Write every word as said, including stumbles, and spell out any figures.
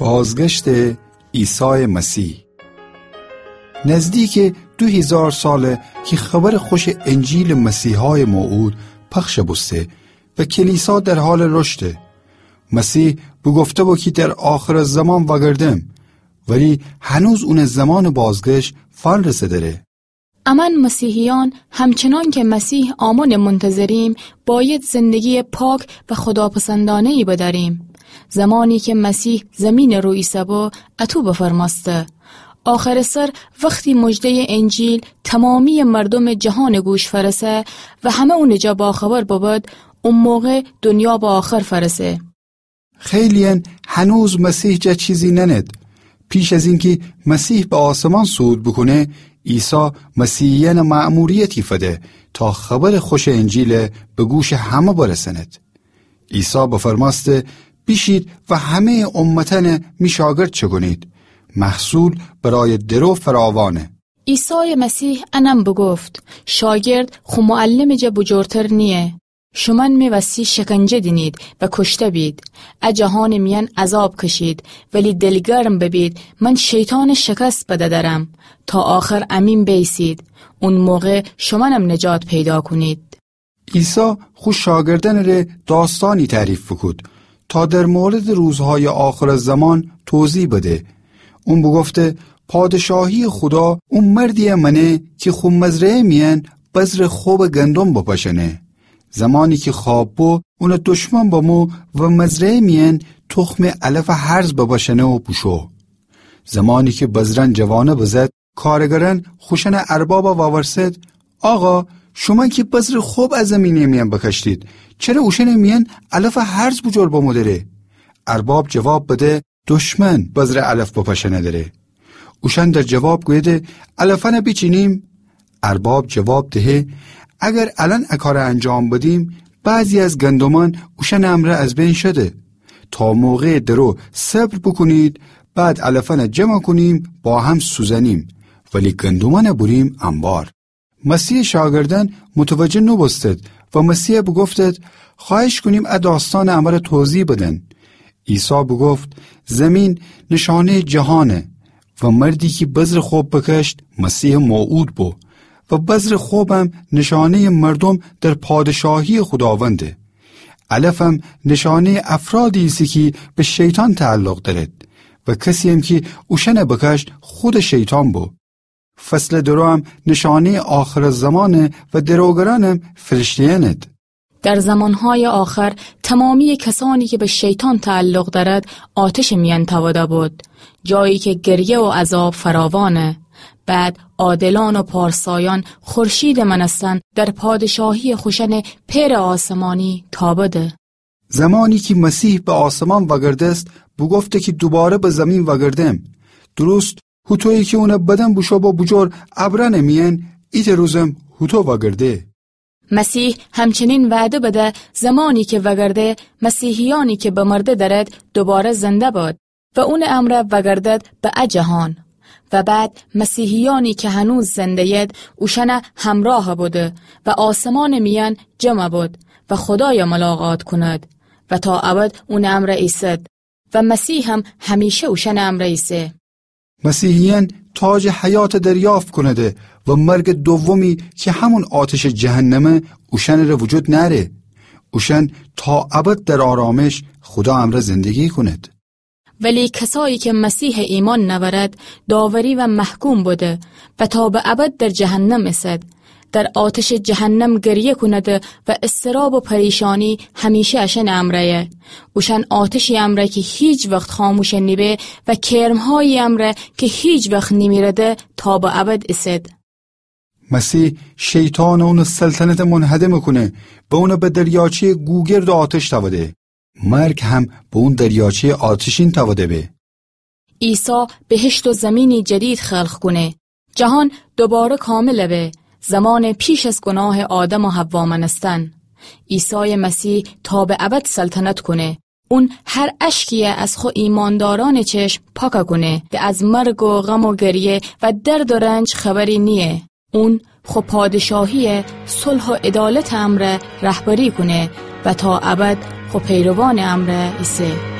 بازگشتٚ عیسایٚ مسیح. نزدیکٚ دو هیزار ساله کی خبرٚ خوشٚ انجیلٚ مسیحای موعود پخش بوسته و کلیسا در حالٚ رشده. مسیح بوگفته بو کی در آخرٚ زمان وأگردم، ولی هنوز اونٚ زمانٚ بازگشت فنرسه‌دره. امأن مسیحیأن همچنان که مسیح آمانٚ منتظریم، باید زندگییٚ پاک و خداپسندانه‌یی بدأریم. زمانی که مسیح زمینٚ رو ایسه‌بو، اطو بفرمأسته: آخرٚ سر وختی مژده‌یٚ انجیل تمامییٚ مردومٚ جهانٚ گوش فأرسه و همه اونٚ جا باخبر ببد، او موقع دنیا به آخر فأرسه. خیلییأن هنوز مسیح جا چیزی نأنید. پیش از اینکی مسیح به آسمان صعود بوکونه، عیسی مسیحیأن مأموریتی فده تا خبرٚ خوشٚ انجیل به گوشٚ همه برسأنید. عیسی بفرمأسته: بیشید و همه‌یٚ امتأن می شاگرد چکونید. محصول برای درو فراوانه. عیسایٚ مسیح انم بوگفت: شاگرد خو معلمٚ جا بوجورتر نییه. شومأن می وسی شکنجه دینید و کشته بید. ا جهانٚ میأن عذاب کشید، ولی دلگرم ببید، من شیطان شکست بده درم. تا آخر امین بیسید. اون موقع شومأنم نجات پیدا کونید. عیسی خو شاگردأنٚ ره داستانی تعریف بوکود تا در موردٚ روزهایٚ آخرٚ زمان توضیح بده. اون بوگفته: پادشاهییٚ خودا او مردیی مأنه کی خو مزرعه میأن بذرٚ خبٚ گندم بپاشأنه. زمانی کی خواب بو، اونٚ دشمن بمو و مزرعه میأن تخمٚ علفٚ هرز بپاشأنه و بوشو. زمانی کی بذرأن جوانه بزد، کارگرأن خوشأنٚ اربابَ وأورسد: آقا، شومأن کی بذرٚ خب ا زمینٚ میأن بکاشتید، چره اوشأنٚ میأن علفٚ هرز بوجور بمو دره؟ ارباب جواب بده: دشمن بذرٚ علف بپاشأنه دره. اوشأن در جواب گویده: علفأنَ بیچینیم؟ ارباب جواب دهه: اگر الأن ا کارَ انجام بدیم، بعضی از گندمأن اوشأنٚ امرأ از بین شده. تا موقعٚ درو صبر بوکونید، بعد علفأنَ جمع کونیم، با هم سوزأنیم، ولی گندمأنَ بوریم انبار. مسیحٚ شاگردأن متوجه نوبوستد و مسیحَ بوگفتد: خوأهش کونیم ا داستانَ امره توضیح بدن. عیسی بوگفت: زمین نشانه‌یٚ جهانه و مردی کی بذرٚ خب بکشت، مسیحٚ موعود بو و بذرٚ خبم نشانه‌یٚ مردوم در پادشاهییٚ خوداونده. علفم نشانه‌یٚ افرادی ایسه کی به شیطان تعلق دأرد و کسییم کی اوشأنَ بکشت، خودٚ شیطان بو. فصلٚ دروم نشانه‌یٚ آخرٚ زمانه و دروگرأنم فرشته‌یأنید. در زمانهای آخر تمامییٚ کسانی که به شیطان تعلق دأرد، آتشٚ میأن تأوده بود، جایی که گریه و عذاب فراوانه. بعد عادلأن و پارسایأن خورشیدٚ مأنستن در پادشاهییٚ خوشأنٚ پئرٚ آسمانی تابده. زمانی کی مسیح به آسمان وأگردست، بوگفته کی دوباره به زمین وأگردم. درست هوطویی کی اونٚ بدن بوشو بو بوجور ابرأنٚ میأن، ایتأ روزم هوطو وأگرده. مسیح همچنین وعده بده زمانی کی وأگرده، مسیحیأنی کی بمرده دأرد دوباره زنده بد و اونٚ امرأ وأگردد به ا جهان. و بعد مسیحیأنی کی هنوز زنده‌ید، اوشأنٚ همرأه بده و آسمانٚ میأن جمع بد و خودایَ ملاقات کند و تا ابد اونٚ امرأ ایسد و مسیحم همیشه اوشأنٚ امرأ ایسه. مسیحیأن تاجٚ حیاتَ دریافت کونده و مرگٚ دومی کی همون آتشٚ جهنمه، اوشأنٚ ره وجود نأره. اوشأن تا ابد در آرامش خودا امرأ زندگی کونید. ولی کسایی که مسیحَ ایمأن نأورد، داوری و محکوم بده و تا به ابد در جهنم ایسد. در آتشٚ جهنم گریه کونده و اضطراب و پریشانی همیشه اشأنٚ امرأیه. اوشأن آتشی امرأ کی هیچ وخت خاموش نیبه و کرمهایی امرأ کی هیچ وخت نیمیرده تا به ابد ایسد. مسیح شیطان و اونٚ سلطنتَ منهدم کونه، به اونَ به دریاچه‌یٚ گوگرد و آتش تأوده. مرگ هم به اون دریاچه‌یٚ آتشین تأوده به. عیسی بهشت و زمینی جدید خلق کونه. جهان دوباره کامل به، زمان پیش از گناه آدم و حوا مأنستن. عیسای مسیح تا به ابد سلطنت کونه. اون هر اشکیی از خو ایماندارأنٚ چشم پاک کونه. ده از مرگ و غم و گریه و درد و رنج خبری نییه. اون خو پادشاهی صلح و عدالت امرأ رهبری کونه و تا ابد خو پیروانٚ امرأ ایسه.